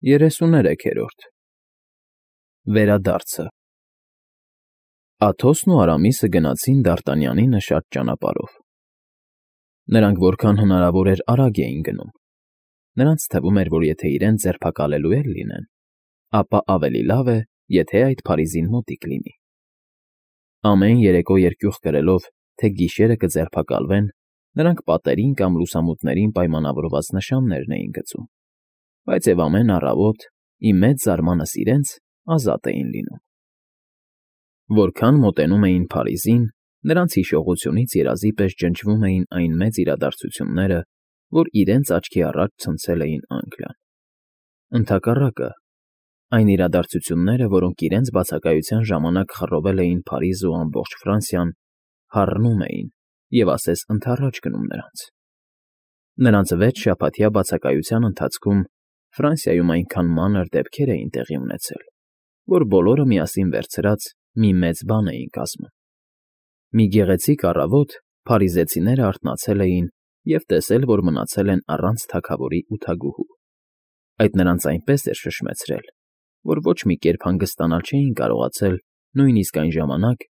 33-րդ Վերադարձը Աթոսն ու Արամիսը գնացին Դարտանյանի նշած ճանապարհով։ Նրանք որքան հնարավոր էր արագ էին գնում։ Նրանց թվում էր, որ եթե իրենց ձերբակալելու էլ լինեն, ապա ավելի լավ է, եթե այդ Փարիզին մոտիկ լինի։ Ամեն երեկո երկյուղ կրելով, թե գիշերը կձերբակալվեն, նրանք պատերին կամ լուսամուտներին պայմանավորված նշաններն էին գցում, բայց և ամեն առավոտ, ի մեծ զարմանս իրենց, ազատ էին լինում։ Որքան մոտենում էին Փարիզին, նրանց հիշողությունից երազի պես ջնջվում էին այն մեծ իրադարձությունները, որ իրենց աչքի առաջ ցնցել էին Անգլիան։ Ընդհակառակը, այն իրադարձությունները, որոնք իրենց բացակայության ժամանակ խռովել էին Փարիզն ու ամբողջ Ֆրանսիան, հառնում էին և ասես ընդառաջ գնում նրանց։ Նրանց 6 շաբաթյա բացակայության ընթացքում Ֆրանսիայում այնքան մանր դեպքեր էին տեղի ունեցել, որ բոլորը միասին վերցրած մի մեծ բան էին կազմում։ Մի գեղեցիկ առավոտ փարիզեցիները արթնացել էին և տեսել, որ մնացել են առանց թագավորի ու թագուհու։ Այդ նրանց այնպես էր շշմեցրել, որ ոչ մի կերպ հանգստանալ չէին կարողացել նույնիսկ այն ժամանակ,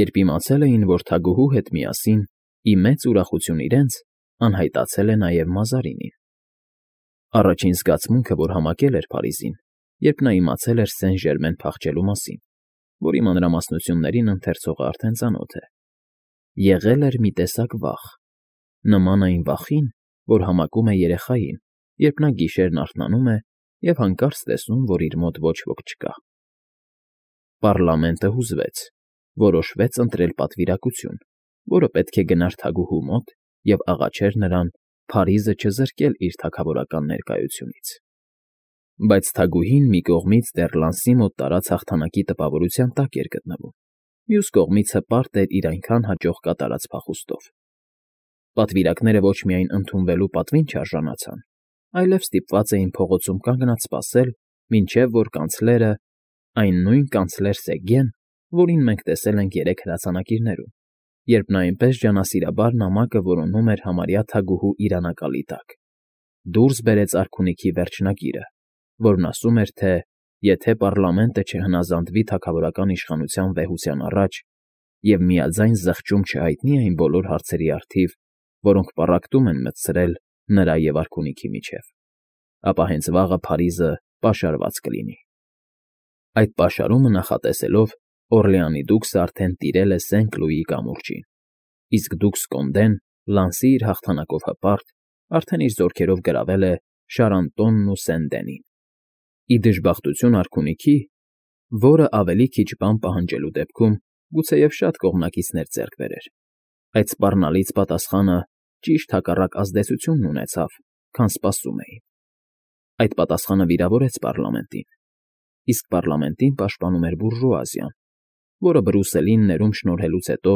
երբ իմացել էին, որ թագուհու հետ միասին, ի մեծ ուրախություն իրենց, անհայտացել է նաև Մազարինին։ Առաջին զգացմունքը, որ համակել էր Փարիզին, երբ նա իմացել էր Սեն֊Ժերմեն փախչելու մասին, որի մանրամասնություններին ընթերցողը արդեն ծանոթ է, եղել էր մի տեսակ վախ, նման այն վախին, որ համակում է երեխային, երբ նա գիշերն արթնանում է և հանկարծ տեսնում, որ իր մոտ ոչ ոք չկա։ Պառլամենտը հուզվեց, որոշվեց ընտրել պատվիրակություն, որը պետք է գնար թագուհու մոտ և աղաչեր նրան Փարիզը չզրկել իր թագավորական ներկայությունից։ Բայց թագուհին մի կողմից դեռ Լանսի մոտ տարած հաղթանակի տպավորության տակ էր գտնվում, մյուս կողմից հպարտ էր իր այնքան հաջող կատարած փախուստով։ Պատվիրակները ոչ միայն ընդունվելու պատվին չարժանացան, այլև ստիպված էին փողոցում կանգնած սպասել, մինչև որ կանցլերը, այն նույն կանցլեր Սեգգեն, որին մենք տեսել ենք երեք հրացանակիրներում, երբ նա այնպես ջանասիրաբար նամակը որոնում էր համարյա թագուհու իրանակալի տակ, դուրս բերեց արքունիքի վերջնագիրը, որն ասում էր, թե եթե պառլամենտը չհնազանդվի թագավորական իշխանության վեհության առաջ և միաձայն զղջում չհայտնի այն բոլոր հարցերի առթիվ, որոնք պառակտում են մտցրել նրա և արքունիքի միջև, ապա հենց վաղը Փարիզը պաշարված կլինի։ Այդ պաշարումը նախատեսելով, Օրլեանի դուքսը արդեն տիրել է Սենք֊Լուիի կամուրջին, իսկ դուքս Կոնդեն, Լանսի իր հաղթանակով հպարտ, արդեն իր զորքերով գրավել է Շարանտոնն ու Սեն֊Դենին։ Ի դժբախտություն արքունիքի, որը ավելի քիչ բան պահանջելու դեպքում գուցեև շատ կողմնակիցներ ձեռք բերեր, այդ սպառնալից պատասխանը ճիշտ հակառակ ազդեցությունն ունեցավ, քան սպասում էին։ Այդ պատասխանը վիրավորեց պառլամենտին, իսկ պառլամենտին պաշտպանում էր բուրժուազիան, որը Բրյուսելին ներում շնորհելուց հետո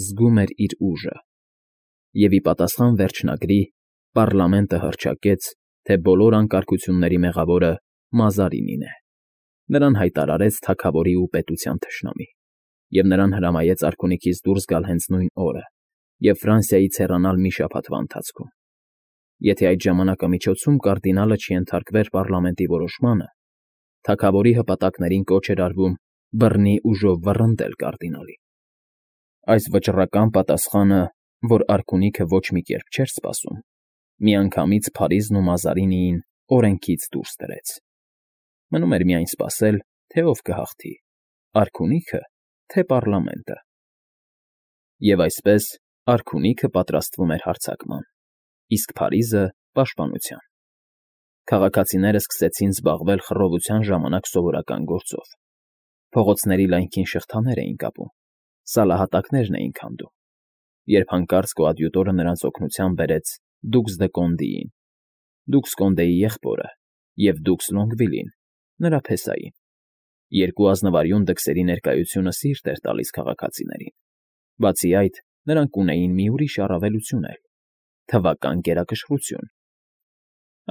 զգում էր իր ուժը, և ի պատասխան վերջնագրի պառլամենտը հռչակեց, թե բոլոր անկարգությունների մեղավորը Մազարինին է։ Նրան հայտարարեց թագավորի ու պետության թշնամի, և նրան հրամայեց արքունիքից դուրս գալ հենց նույն օրը և Ֆրանսիայից հեռանալ մի շաբաթվա ընթացքում։ Եթե այդ ժամանակամիջոցում կարդինալը չենթարկվեր պառլամենտի որոշմանը, թագավորի հպատակներին կոչ էր արվում բռնի ուժով վռնդել կարդինալին։ Այս վճռական պատասխանը, որ արքունիքը ոչ մի կերպ չէր սպասում, միանգամից Փարիզն ու Մազարինիին օրենքից դուրս դրեց։ Մնում էր միայն սպասել, թե ով կհաղթի՝ արքունիքը, թե պառլամենտը։ Եվ այսպես արքունիքը պատրաստվում էր հարձակման, իսկ Փարիզը՝ պաշտպանության։ Քաղաքացիները սկսեցին զբաղվել խռովության ժամանակ սովորական գործով։ Փողոցների լայնքին շղթաներ էին կապում, սալահատակներն էին քանդում, երբ հանկարծ կոադյուտորը նրանց օգնության բերեց դուքս դը Կոնդիին, դուքս Կոնդեի եղբորը և դուքս Լոնգվիլին, նրա փեսային։ Երկու ազնվարյուն դքսերի ներկայությունը սիրտ էր տալիս քաղաքացիներին։ Բացի այդ, նրանք ունեին մի ուրիշ առավելություն էլ՝ թվական գերակշռություն։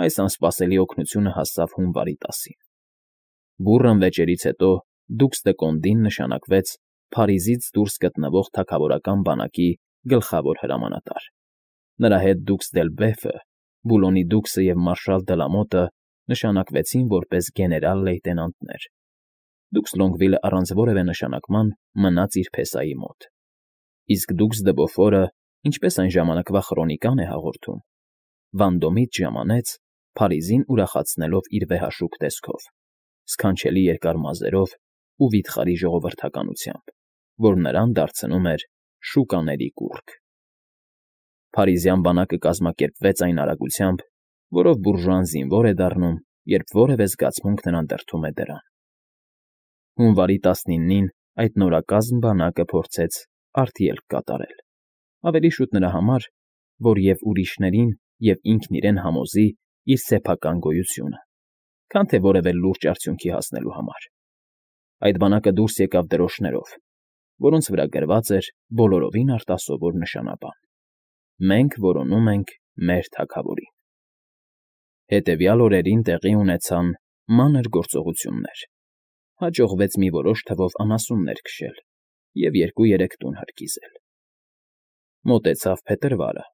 Այս անսպասելի օգնությունը հասավ հունվարի 10-ին։ Բուռն վեճերից հետո դուքս դը Կոնդին նշանակվեց Փարիզից դուրս գտնվող թագավորական բանակի գլխավոր հրամանատար։ Նրա հետ դուքս Դելբեֆը, Բուլոնի դուքսը և մարշալ Դելամոտը նշանակվեցին որպես գեներալ֊լեյտենանտներ։ Դուքս Լոնգվիլը առանց որևէ նշանակման մնաց իր փեսայի մոտ։ Իսկ դուքս դե Բոֆորը, ինչպես այն ժամանակվա քրոնիկան է հաղորդում, Վանդոմից ժամանեց, Փարիզին ուրախացնելով իր վեհաշուկ տեսքով, սքանչելի երկար մազերով ու վիթխարի ժողովրդականությամբ, որ նրան դարձնում էր շուկաների կուռք։ Փարիզյան բանակը կազմակերպվեց այն արագությամբ, որով բուրժուան զինվոր է դառնում, երբ որևէ զգացմունք նրան դրդում է դրան։ Հունվարի 19-ին այդ նորակազմ բանակը փորձեց արտելք կատարել, ավելի շուտ նրա համար, որ և ուրիշներին, և ինքն իրեն համոզի իր սեփական գոյությունը, քան թե որևէ լուրջ արդյունքի հասնելու համար։ Այդ բանակը դուրս եկավ դրոշներով, որոնց վրա գրված էր բոլորովին արտասովոր նշանաբան. «Մենք որոնում ենք մեր թագավորին»։ Հետևյալ օրերին տեղի ունեցան մանր գործողություններ։ Հաջողվեց մի որոշ թվով անասուններ քշել և 2-3 տուն հրկիզել։ Մոտեցավ փետրվարը։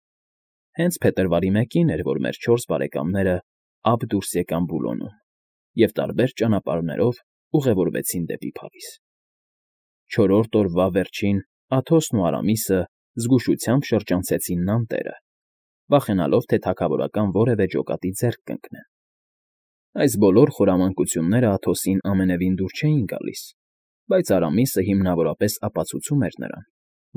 Հենց փետրվարի 1-ին էր, որ մեր 4 բարեկամները ափ դուրս եկան Բուլոնում և տարբեր ճանապարհներով ուղևորվեցին դեպի Փարիզ։ 4-րդ օրվա վերջին Աթոսն ու Արամիսը զգուշությամբ շրջանցեցին Նանտերը, վախենալով, թե թագավորական որևէ ջոկատի ձեռք կընկնեն։ Այս բոլոր խորամանկությունները Աթոսին ամենևին դուր չէին գալիս, բայց Արամիսը հիմնավորապես ապացուցում էր նրան,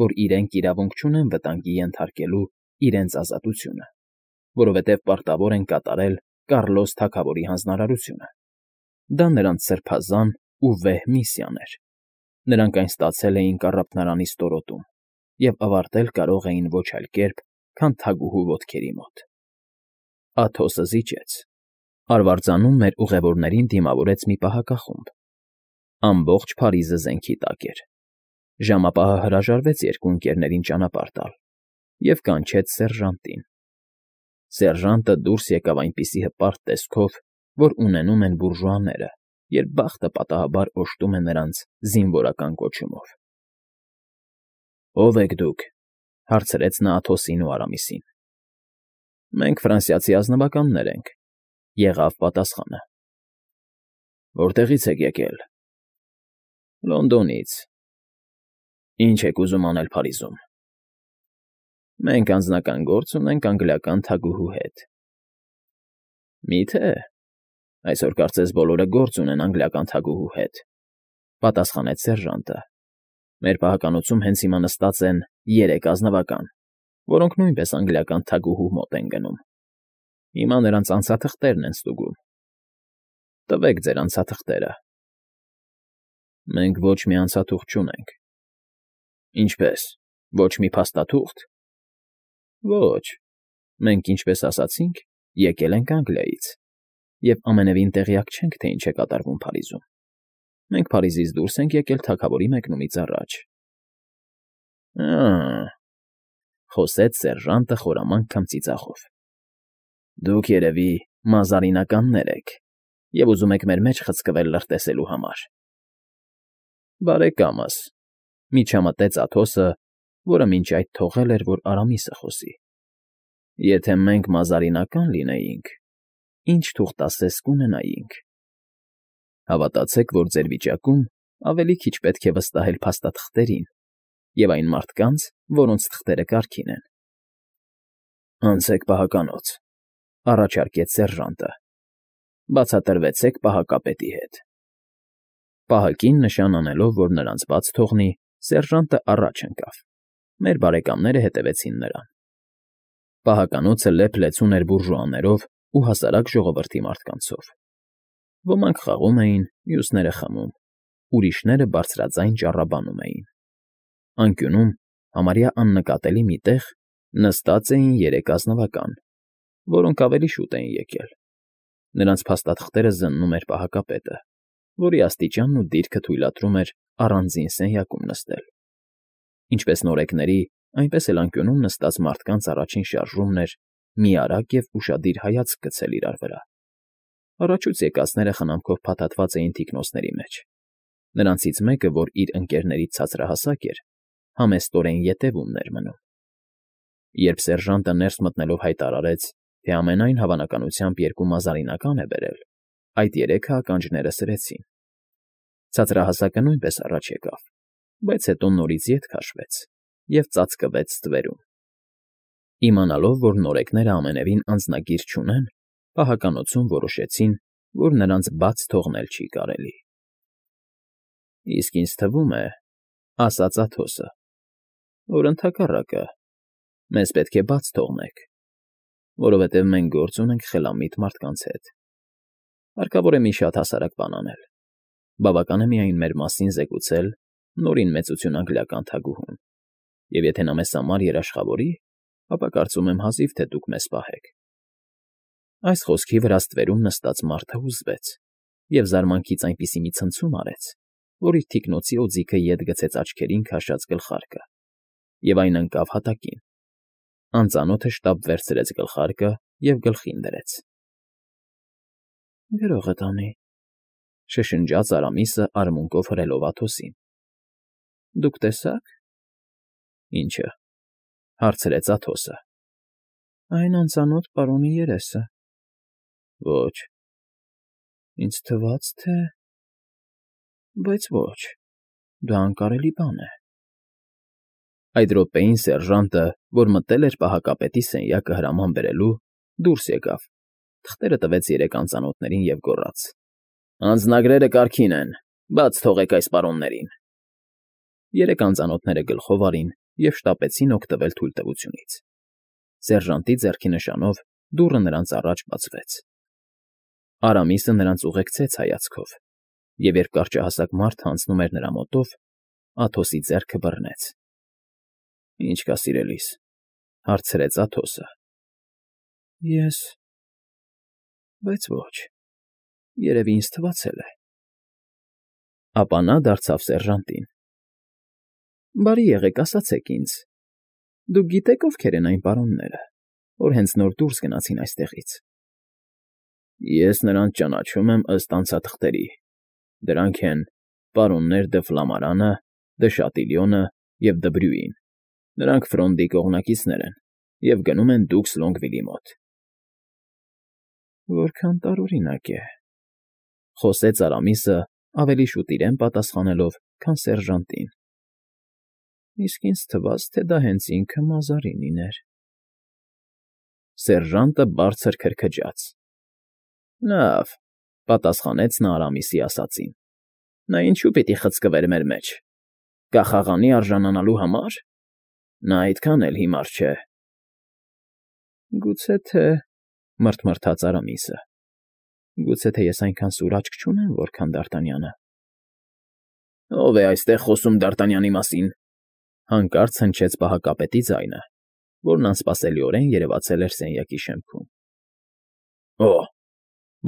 որ իրենք իրավունք չունեն վտանգի ենթարկելու իրենց ազատությունը, որովհետև պարտավոր են կատարել Կառլոս թագավորի հանձնարարությունը։ Դա նրանց սրբազան ու վեհ միսիան էր։ Նրանք այն ստացել էին կառափնարանի ստորոտում և ավարտել կարող էին ոչ այլ կերպ, քան թագուհու ոտքերի մոտ։ Աթոսը զիջեց։ Արվարձանում մեր ուղևորներին դիմավորեց մի պահակախումբ։ Ամբողջ Փարիզը զենքի տակ էր։ Ժամապահը հրաժարվեց 2 ընկերներին ճանապարհ տալ և կանչեց սերժանտին։ Սերժանտը դուրս եկավ այնպիսի հպարտ տեսքով, որ ունենում են բուրժուաները, երբ բախտը պատահաբար օժտում է նրանց զինվորական կոչումով։ ֊ Ո՞վ եք դուք,֊ հարցրեց նա Աթոսին ու Արամիսին։ ֊ Մենք ֆրանսիացի ազնվականներ ենք,֊ եղավ պատասխանը։ ֊ Որտեղի՞ց եք եկել։ ֊ Լոնդոնից։ ֊ Ի՞նչ եք ուզում անել Փարիզում։ ֊ Մենք անձնական գործ ունենք անգլիական թագուհու հետ։ ֊ Մի՞թե։ Այսօր կարծես բոլորը գործ ունեն անգլիական թագուհու հետ,֊ պատասխանեց սերժանտը։ Մեր պահականոցում հենց հիմա նստած են 3 ազնվական, որոնք նույնպես անգլիական թագուհու մոտ են գնում։ Հիմա նրանց անցաթղթերն են ստուգում։ Տվեք ձեր անցաթղթերը։ ֊ Մենք ոչ մի անցաթուղթ չունենք։ ֊ Ինչպե՞ս, ոչ մի փաստաթուղթ։ ֊ Ոչ, մենք, ինչպես ասացինք, եկել ենք Անգլիայից և ամենևին տեղյակ չենք, թե ինչ է կատարվում Փարիզում։ Մենք Փարիզից դուրս ենք եկել թագավորի մեկնումից առաջ։ ֊ Խոսեց սերժանտը խորամանկ քմծիծաղով։ Դուք, երևի, մազարինականներ եք և ուզում եք մեր մեջ խցկվել լրտեսելու համար։ ֊ Բարեկամս,֊ միջամտեց Աթոսը, որը մինչ այդ թողել էր, որ Արամիսը խոսի,֊ եթե մենք մազարինական լինեինք, ինչ թուղթասես կունենայինք։ Հավատացեք, որ ձեր վիճակում ավելի քիչ պետք է վստահել փաստաթղթերին և այն մարդկանց, որոնց թղթերը կարգին են։ ֊ Անցեք պահականոց,֊ առաջարկեց սերժանտը։ ֊ Բացատրվեցեք պահակապետի հետ։ Պահակին նշան անելով, որ նրանց բաց թողնի, սերժանտը առաջ ընկավ։ Մեր բարեկամները հետևեցին նրան։ Պահականոցը լեփ-լեցուն էր բուրժուաներով ու հասարակ ժողովրդի մարդկանցով։ Ոմանք խաղում էին, մյուսները խմում, ուրիշները բարձրաձայն ճառաբանում էին։ Անկյունում, համարյա աննկատելի մի տեղ, նստած էին 3 ազնվական, որոնք ավելի շուտ էին եկել։ Նրանց փաստաթղթերը զննում էր պահակապետը, որի աստիճանն ու դիրքը թույլատրում էր առանձին սենյակում նստել։ Ինչպես նորեկների, այնպես էլ անկյունում նստած մարդկանց առաջին շարժումն էր մի արագ և ուշադիր հայացք գցել իրար վրա։ Առաջուց եկածները խնամքով փաթաթված էին թիկնոնցների մեջ։ Նրանցից մեկը, որ իր ընկերներից ցածրահասակ էր, համեստորեն ետևումն էր մնում։ Երբ սերժանտը ներս մտնելով հայտարարեց, թե ամենայն հավանականությամբ 2 մազարինական է բերել, այդ երեքը ականջները սրեցին։ Ցածրահասակը նույնպես առաջ եկավ, բայց հետո նորից ետ քաշվեց և ծածկվեց ստվերում։ Իմանալով, որ նորեկները ամենևին անձնագիր չունեն, պահականոցում որոշեցին, որ նրանց բաց թողնել չի կարելի։ Իսկ ինձ թվում է, ասաց Աթոսը, որ ընդհակառակը, մեզ պետք է բաց թողնեք, որովհետև մենք գործ ունենք խելամիտ մարդկանց հետ։ Հարկավոր է մի շատ հասարակ բան անել։ Բավական է միայն մեր մասին զեկուցել Նորին մեծություն անգլիական թագուհուն, և եթե նա մեզ համար երաշխավորի, ապա կարծում եմ հազիվ թե դուք մեզ պահեք։ Այս խոսքի վրա ստվերում նստած մարդը հուզվեց և զարմանքից այնպիսի մի ցնցում արեց, որ իր թիկնոցի օձիքը ետ գցեց աչքերին քաշած գլխարկը, և այն ընկավ հատակին։ Անծանոթը շտապ վերցրեց գլխարկը և գլխին դրեց։ ֊ Գրողդ անի,֊ շշնջաց Արամիսը արմունկով հրելով Աթոսին։ ֊ Դուք տեսա՞ք։ ֊ Ի՞նչը,֊ հարցրեց Աթոսը։ ֊ Այն անծանոթ պարոնի երեսը։ ֊ Ոչ։ ֊ Ինձ թվաց, թե… Բայց ոչ, դա անկարելի բան է։ Այդ րոպեին սերժանտը, որ մտել էր պահակապետի սենյակը հրաման բերելու, դուրս եկավ, թղթերը տվեց երեք անծանոթներին և գոռաց. «Անձնագրերը կարգին են, բաց թողեք այս պարոններին»։ Երեք անծանոթները գլխով արին և շտապեցին օգտվել թույլտվությունից։ Սերժանտի ձեռքի նշանով դուռը նրանց առաջ բացվեց։ Արամիսը նրանց ուղեկցեց հայացքով, և երբ կարճահասակ մարդը անցնում էր նրա մոտով, Աթոսի ձեռքը բռնեց։ ֊ Ի՞նչ կա, սիրելիս,֊ հարցրեց Աթոսը։ ֊ Ես… Բայց ոչ, երևի ինձ թվացել է։ Ապա նա դարձավ սերժանտին. ֊ Բարի եղեք, ասացեք ինձ, դուք գիտե՞ք ովքեր են այն պարոնները, որ հենց նոր դուրս գնացին այստեղից։ ֊ Ես նրանց ճանաչում եմ ըստ անցաթղթերի. դրանք են պարոններ Դը Ֆլամարանը, Դը Շատիլյոնը և Դը Բրյուին. նրանք Ֆրոնդի կողմնակիցներ են և գնում են դուքս Լոնգվիլի մոտ։ ֊ Որքան տարօրինակ է,֊ խոսեց Արամիսը ավելի շուտ իրեն պատասխանելով, քան սերժանտին։ ֊ Իսկ ինձ թվաց, թե դա հենց ինքը Մազարինին էր։ Սերժանտը բարձր քրքջաց։ ֊ Լավ,֊ պատասխանեց նա Արամիսի ասածին։ ֊ Նա ինչու պիտի խցկվեր մեր մեջ… կախաղանի արժանանալու համար… Նա այդքան էլ հիմար չէ։ ֊ Գուցե թե…֊ մռթմռթաց Արամիսը։ ֊ Գուցե թե ես այնքան սուր աչք չունեմ, որքան Դ'Արտանյանը։ ֊ Ո՞վ է այստեղ խոսում Դ'Արտանյանի մասին,֊ հանկարծ հնչեց պահակապետի ձայնը, որն անսպասելիորեն երևացել էր սենյակի շեմքում։ ֊ Օ՜,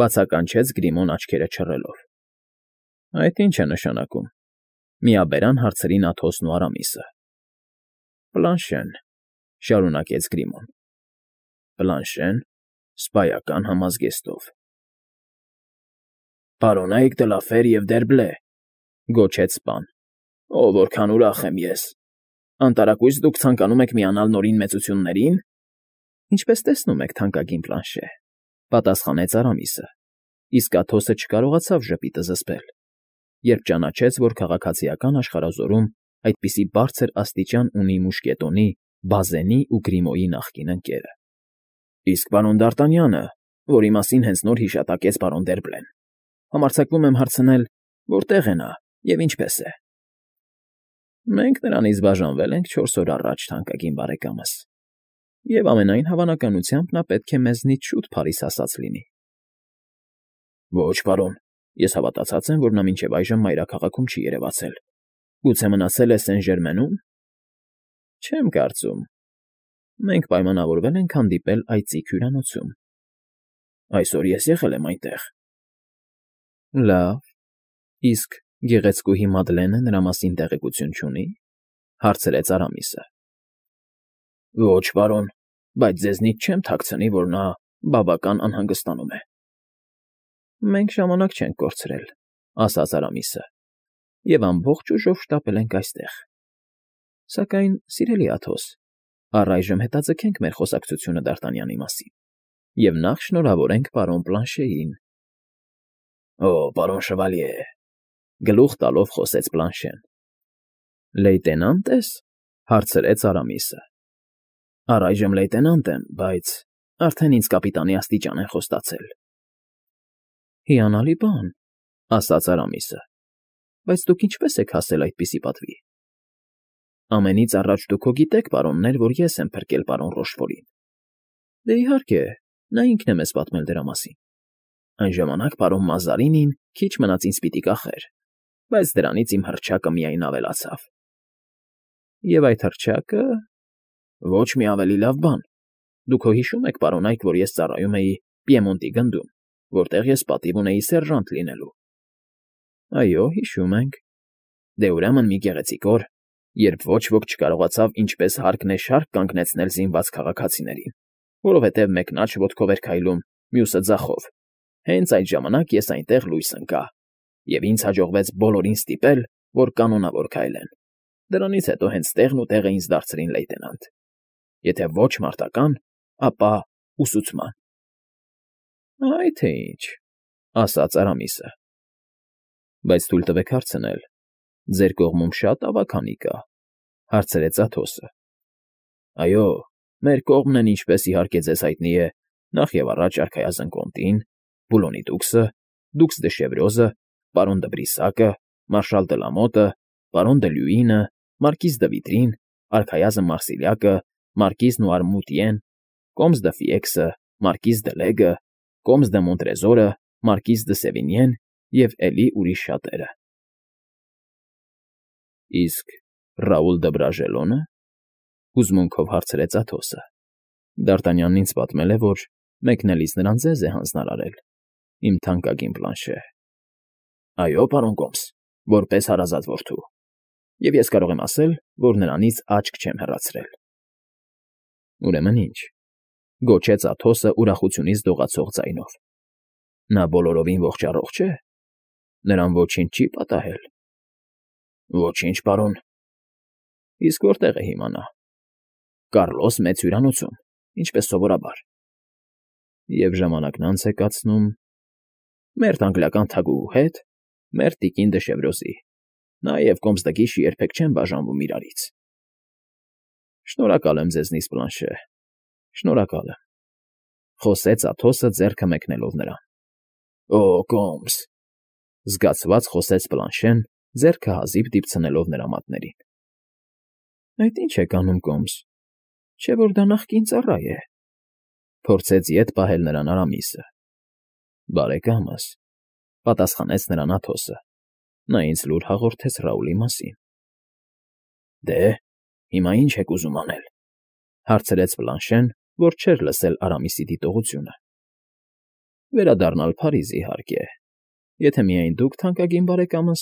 բացականչեց Գրիմոն աչքերը չռելով։ ֊ Այդ ի՞նչ է նշանակում,֊ միաբերան հարցրին Աթոսն ու Արամիսը։ ֊ Պլանշեն,֊ շարունակեց Գրիմոն։ ֊ Պլանշե՞ն, սպայական համազգեստով։ ֊ Պարոնայք Դլաֆեր և Դերբլե,֊ գոչեց սպան։ ֊ Որքան ուրախ եմ ես… Անտարակույս դուք ցանկանում եք միանալ Նորին մեծությունների՞ն։ ֊ Ինչպես տեսնում եք, թանկագին Պլանշե,֊ պատասխանեց Արամիսը, իսկ Աթոսը չկարողացավ ժպիտը զսպել, երբ ճանաչեց, որ քաղաքացիական աշխարհազորում այդպիսի բարձր աստիճան ունի մուշկետոնի, Բազենի ու Գրիմոյի նախկին ընկերը։ ֊ Իսկ պարոն Դ'Արտանյանը, որի մասին հենց նոր հիշատակեց պարոն Դերբլեն, համարձակվում եմ հարցնել, որտեղ է նա և ինչպե՞ս է։ ֊ Մենք նրանից բաժանվել ենք 4 օր առաջ, թանկագին բարեկամս, և ամենայն հավանականությամբ նա պետք է մեզնից շուտ Փարիզ հասած լինի։ ֊ Ոչ, պարոն, ես հավատացած եմ, որ նա մինչև այժմ մայրաքաղաքում չի երևացել։ Գուցե մնացել է Սեն֊Ժերմենում։ ֊ Չեմ կարծում։ Մենք պայմանավորվել ենք հանդիպել այծիկ հյուրանոցում։ ֊ Այսօր ես եղել եմ այնտեղ։ ֊ Լավ, իսկ գեղեցկուհի Մադլենը նրա մասին տեղեկություն չունի՞, հարցրեց Արամիսը։ ֊ Ոչ, պարոն, բայց ձեզնից չեմ թաքցնի, որ նա բավական անհանգստանում է։ ֊ Մենք ժամանակ չենք կորցրել,֊ ասաց Արամիսը,֊ և ամբողջ ուժով շտապել ենք այստեղ։ Սակայն, սիրելի Աթոս, առայժմ հետաձգենք մեր խոսակցությունը Դ'Արտանյանի մասին և նախ շնորհավորենք պարոն Պլանշեին։ Օ, պարոն շվալյե, գլուխ տալով խոսեց Բլանշեն։ Լեյտենա՞նտ ես,֊ հարցրեց Արամիսը։ Առայժմ լեյտենանտ եմ, բայց արդեն ինձ կապիտանի աստիճան են խոստացել։ Հիանալի բան,֊ ասաց Արամիսը։ Բայց դուք ինչպես եք հասել այդպիսի պատվի։ Ամենից առաջ դուք հո գիտեք, պարոններ, որ ես եմ փրկել պարոն Ռոշֆորին։ Դե իհարկե, նա ինքն է մեզ պատմել դրա մասին։ Այն ժամանակ պարոն Մազարինին քիչ մնաց ինձ պիտի կախեր, բայց դրանից իմ հռչակը միայն ավելացավ։ Եվ այդ հռչակը… Ոչ մի ավելի լավ բան։ Դուք հո հիշում եք, պարոնայք, որ ես ծառայում էի Պիեմոնտի գնդում, որտեղ ես պատիվ ունեի սերժանտ լինելու։ Այո, հիշում ենք։ Դե ուրեմն մի գեղեցիկ օր, երբ ոչ ոք չկարողացավ ինչպես հարկն է շարք կանգնեցնել զինված քաղաքացիներին, որովհետև մեկն աջ ոտքով էր քայլում, մյուսը ձախով։ Հենց այդ ժամանակ ես այնտեղ լույս ընկա, և ինձ հաջողվեց բոլորին ստիպել, որ կանոնավոր քայլեն։ Դրանից հետո հենց տեղն ու տեղը ինձ դարձրին լեյտենանտ։ Եթե ոչ մարտական, ապա ուսուցման։ Այ թե ինչ,֊ ասաց Արամիսը։ Բայց թույլ տվեք հարցնել, ձեր կողմում շատ ավագանի կա,֊ հարցրեց Աթոսը։ Այո, մեր կողմն են, ինչպես իհարկե ձեզ հայտնի է, նախ և առաջ արքայազն Կոնտին, Բուլոնի դուքսը, դուքս դե Շևրոզը, պարոն դը Բրիսակը, մարշալ դը Լամոտը, պարոն դը Լյուինը, մարկիզ դը Վիտրին, արքայազն Մարսիլյակը, մարկիզն ու Արմուտիեն, կոմս դը Ֆիեքսը, մարկիզ դը Լեգը, կոմս դը Մոնտրեզորը, մարկիզ դը Սևինիեն և էլի ուրիշ շատերը։ Իսկ Ռաուլ դը Բրաժելոնը,֊ հուզմունքով հարցրեց Աթոսը։ Դ'Արտանյանն ինձ պատմել է, որ մեկնելիս նրան ձեզ է հանձնարարել, իմ թանկագին Բլանշե։ Այո, պարոն կոմս, որպես հարազատ որդու։ Եվ ես կարող եմ ասել, որ նրանից աչք չեմ հեռացրել։ Ուրեմն ինչ,֊ գոչեց Աթոսը ուրախությունից դողացող ձայնով։ Նա բոլորովին ողջ֊առողջ է։ Նրան ոչինչ չի պատահել։ Ոչինչ, պարոն։ Իսկ որտե՞ղ է հիմա նա։ Կառլոս մեծ հյուրանոցում, ինչպես սովորաբար։ Եվ ժամանակն անց է կացնում… Մերթ անգլիական թագուհու հետ, մերթ տիկին դը Շևրոզի, նա և կոմս դը Կիշը երբեք չեն բաժանվում իրարից։ Շնորհակալ եմ ձեզնից, Բլանշե, շնորհակալ եմ,֊ խոսեց Աթոսը ձեռքը մեկնելով նրան։ Օ, կոմս,֊ զգացված խոսեց Բլանշեն, ձեռքը հազիվ դիպցնելով նրա մատներին։ Այդ ինչ եք անում, կոմս, չէ՞ որ դա նախկին ծառա է,֊ փորձեց ետ պահել նրան Արամիսը։ Բարեկամս,֊ պատասխանեց նրան Աթոսը։ Նա ինձ լուր հաղորդեց Ռաուլի մասին։ Դե, հիմա ինչ եք ուզում անել,֊ հարցրեց Բլանշեն, որ չէր լսել Արամիսի դիտողությունը։ Վերադառնալ Փարիզ, իհարկե, եթե միայն դուք, թանկագին բարեկամս,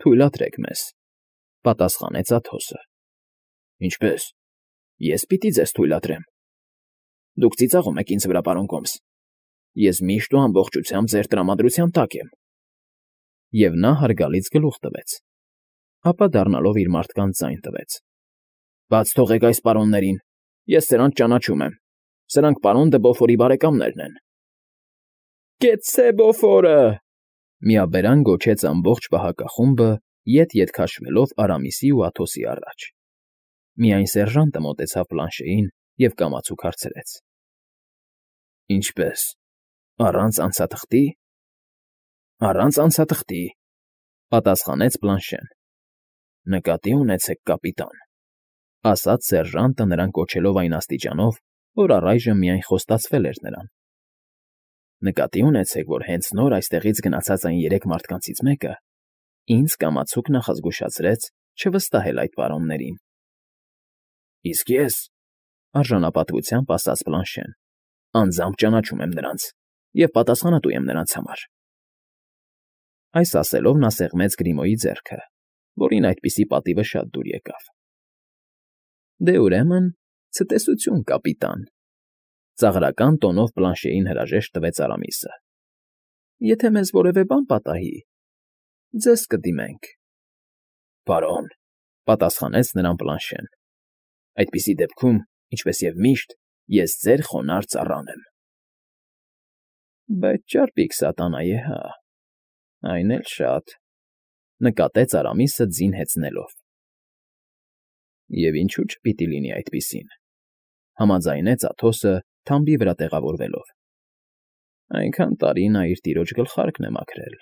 թույլատրեք մեզ,֊ պատասխանեց Աթոսը։ Ինչպե՞ս, ես պիտի ձեզ թույլատրեմ։ Դուք ծիծաղում եք ինձ վրա, պարոն կոմս։ Ես միշտ ու ամբողջությամբ ձեր տրամադրության տակ եմ։ Եվ նա հարգալից գլուխ տվեց, ապա դառնալով իր մարդկանց ձայն տվեց. Բաց թողեք այս պարոններին, ես սրանց ճանաչում եմ, սրանք պարոն դը Բոֆորի բարեկամներն են։ Կեցցե Բոֆորը,֊ միաբերան գոչեց ամբողջ պահակախումբը, ետ քաշվելով Արամիսի ու Աթոսի առաջ։ Միայն սերժանտը մոտեցավ Բլանշեին և կամացուկ հարցրեց. Ինչպե՞ս, առանց անցաթղթի։ Առանց անցաթղթի,֊ պատասխանեց Բլանշեն։ Նկատի ունեցեք, կապիտան,֊ ասաց սերժանտը նրան կոչելով այն աստիճանով, որ առայժմ միայն խոստացվել էր նրան։ Նկատի ունեցեք, որ հենց նոր այստեղից գնացած այն 3 մարդկանցից մեկը ինձ կամացուկ նախազգուշացրեց չվստահել այդ պարոններին։ Իսկ ես,֊ արժանապատվությամբ ասաց Բլանշեն, անձամբ ճանաչում եմ նրանց և պատասխանատու եմ նրանց համար։ Այս ասելով նա սեղմեց Գրիմոյի ձեռքը, որին այդպիսի պատիվը շատ դուր եկավ։ Դե ուրեմն, ցտեսություն, կապիտան,֊ ծաղրական տոնով Բլանշեին հրաժեշտ տվեց Արամիսը։ Եթե մեզ որևէ բան պատահի, ձեզ կդիմենք։ Պարոն,֊ պատասխանեց նրան Բլանշեն, այդպիսի դեպքում, ինչպես և միշտ, ես ձեր խոնարհ ծառան եմ։ Բայց ճարպիկ սատանայե հա։ Այն էլ շատ,֊ նկատեց Արամիսը ձին հեծնելով։ ֊ Եվ ինչու չպիտի լինի այդպիսին,֊ համաձայնեց Աթոսը թամբի վրա տեղավորվելով։ ֊ Այնքան տարի նա իր տիրոջ գլխարկն է մաքրել։